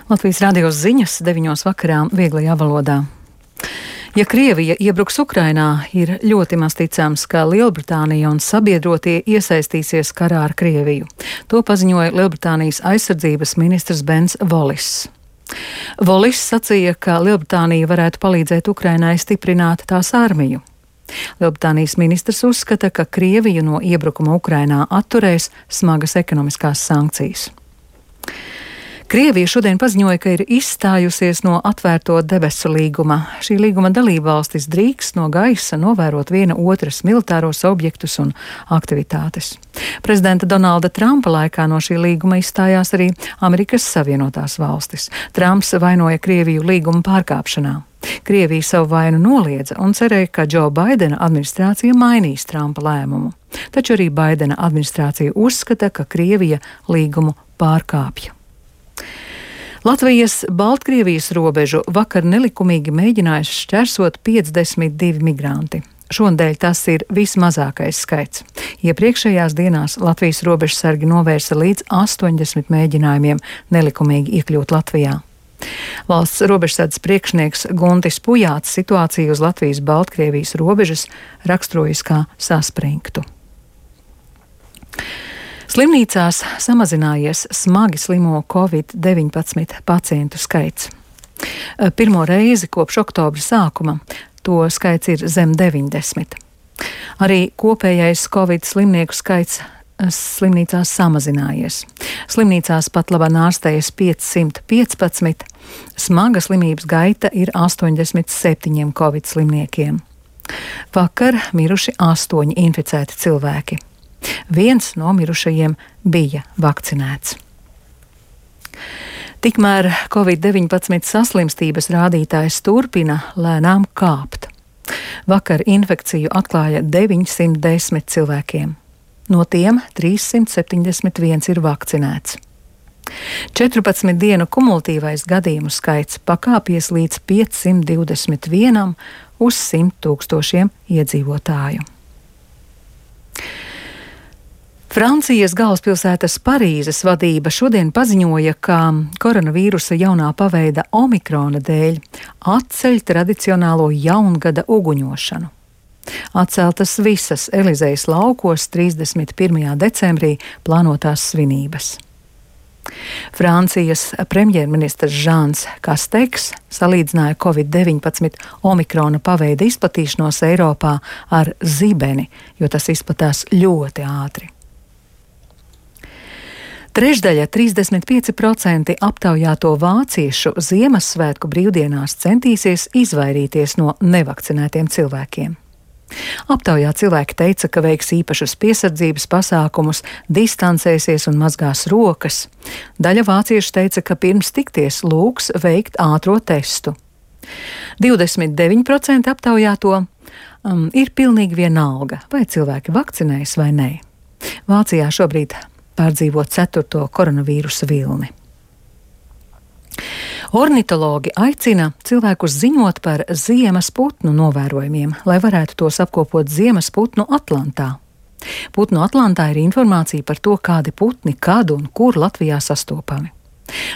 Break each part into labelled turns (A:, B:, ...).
A: Latvijas radio ziņas 9 vakarā vieglajā valodā. Ja Krievija iebruks Ukrainā, ir ļoti maz ticams, ka Lielbritānija un sabiedrotie iesaistīsies karā ar Krieviju. To paziņoja Lielbritānijas aizsardzības ministrs Bens Wallis. Wallis sacīja, ka Lielbritānija varētu palīdzēt Ukrainai stiprināt tās armiju. Lielbritānijas ministrs uzskata, ka Krieviju no iebrukuma Ukrainā atturēs smagas ekonomiskās sankcijas. Krievija šodien paziņoja, ka ir izstājusies no atvērto debesu līguma. Šī līguma dalībvalstis drīkst no gaisa novērot viena otras militāros objektus un aktivitātes. Prezidenta Donalda Trumpa laikā no šī līguma izstājās arī Amerikas Savienotās valstis. Trumps vainoja Krieviju līguma pārkāpšanā. Krievija savu vainu noliedza un cerēja, ka Džo Baidena administrācija mainīs Trumpa lēmumu. Taču arī Baidena administrācija uzskata, ka Krievija līgumu pārkāpja. Latvijas Baltkrievijas robežu vakar nelikumīgi mēģinājuši šķērsot 52 migranti. Šonadēļ tas ir vismazākais skaits. Iepriekšējās dienās Latvijas robežsargi novērsa līdz 80 mēģinājumiem nelikumīgi iekļūt Latvijā. Valsts robežsardzes priekšnieks Guntis Pujāts situāciju uz Latvijas Baltkrievijas robežas raksturojas kā saspringtu. Slimnīcās samazinājies smagi slimo Covid-19 pacientu skaits. Pirmo reizi kopš oktobra sākuma to skaits ir zem 90. Arī kopējais Covid slimnieku skaits slimnīcās samazinājies. Slimnīcās pat labāk ārstējas 515, smaga slimības gaita ir 87 Covid slimniekiem. Vakar miruši 8 inficēti cilvēki. Viens no mirušajiem bija vakcinēts. Tikmēr Covid-19 saslimstības rādītājs turpina lēnām kāpt. Vakar infekciju atklāja 910 cilvēkiem. No tiem 371 ir vakcinēts. 14 dienu kumulatīvais gadījumu skaits pakāpies līdz 521 uz 100 000 iedzīvotāju. Francijas galvaspilsētas Parīzes vadība šodien paziņoja, ka koronavīrusa jaunā paveida omikrona dēļ atceļ tradicionālo jaungada uguņošanu. Atceltas visas Elizejas laukos 31. decembrī plānotās svinības. Francijas premjerministrs Žans Kasteks salīdzināja Covid-19 omikrona paveida izplatīšanos Eiropā ar zibeni, jo tas izplatās ļoti ātri. Trešdaļa 35% aptaujāto vāciešu Ziemassvētku brīvdienās centīsies izvairīties no nevakcinētiem cilvēkiem. Aptaujā cilvēki teica, ka veiks īpašus piesardzības pasākumus, distancēsies un mazgās rokas. Daļa vāciešu teica, ka pirms tikties lūgs veikt ātro testu. 29% aptaujāto ir pilnīgi vienalga, vai cilvēki vakcinējas vai nē. Vācijā šobrīd pārdzīvo 4. koronavīrusa vilni. Ornitologi aicina cilvēkus ziņot par ziemas putnu novērojumiem, lai varētu tos apkopot ziemas putnu Atlantā. Putnu Atlantā ir informācija par to, kādi putni, kad un kur Latvijā sastopami.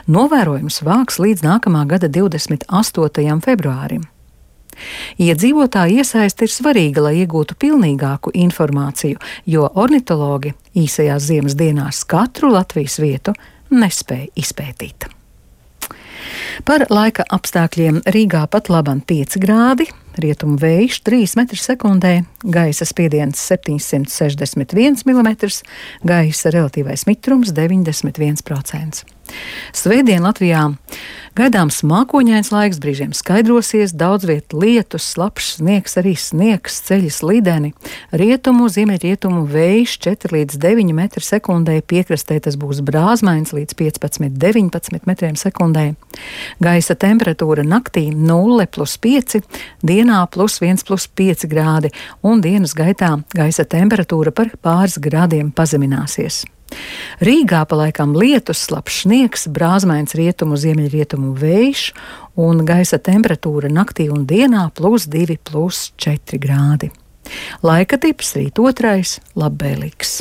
A: Novērojums vāks līdz nākamā gada 28. februārim. Iedzīvotāju iesaiste ir svarīga, lai iegūtu pilnīgāku informāciju, jo ornitologi īsajās ziemas dienās katru Latvijas vietu nespēja izpētīt. Par laika apstākļiem Rīgā pat laban 5 grādi, rietumu vējš 3 m/sekundē, gaisa spiediens 761 mm, gaisa relatīvais mitrums 91%. Svētdien Latvijā gaidāms mākoņains laiks, brīžiem skaidrosies, daudz viet lietus, slapjš sniegs, arī sniegs, ceļi slideni. Rietumu, ziemeļrietumu vējš 4 līdz 9 m/sekundē, piekrastē tas būs brāzmains līdz 15–19 m/sekundē. Gaisa temperatūra naktī 0+5, dienā +1+5 grādi, un dienas gaitā gaisa temperatūra par pāris grādiem pazemināsies. Rīgā pa laikam lietus, slapjš sniegs, brāzmains rietumu, ziemeļrietumu vējš un gaisa temperatūra naktī un dienā +2–+4 grādi. Laika tips rīt 2. labvēlīgs.